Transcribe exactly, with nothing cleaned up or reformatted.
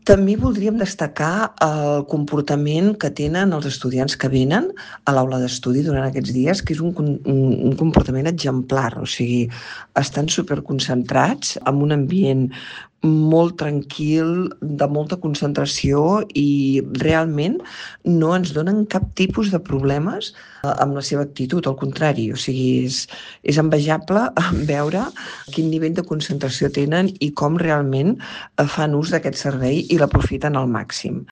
També voldríem destacar el comportament que tenen els estudiants que venen a l'aula d'estudi durant aquests dies, que és un con un un comportament exemplar, o sigui, estan superconcentrats en un ambient molt tranquil, de molta concentració i realment no ens donen cap tipus de problemes, eh, amb la seva actitud, al contrari, o sigui, és és envejable veure quin nivell de concentració tenen i com realment, eh, fan ús d'aquest servei i l'aprofiten al màxim.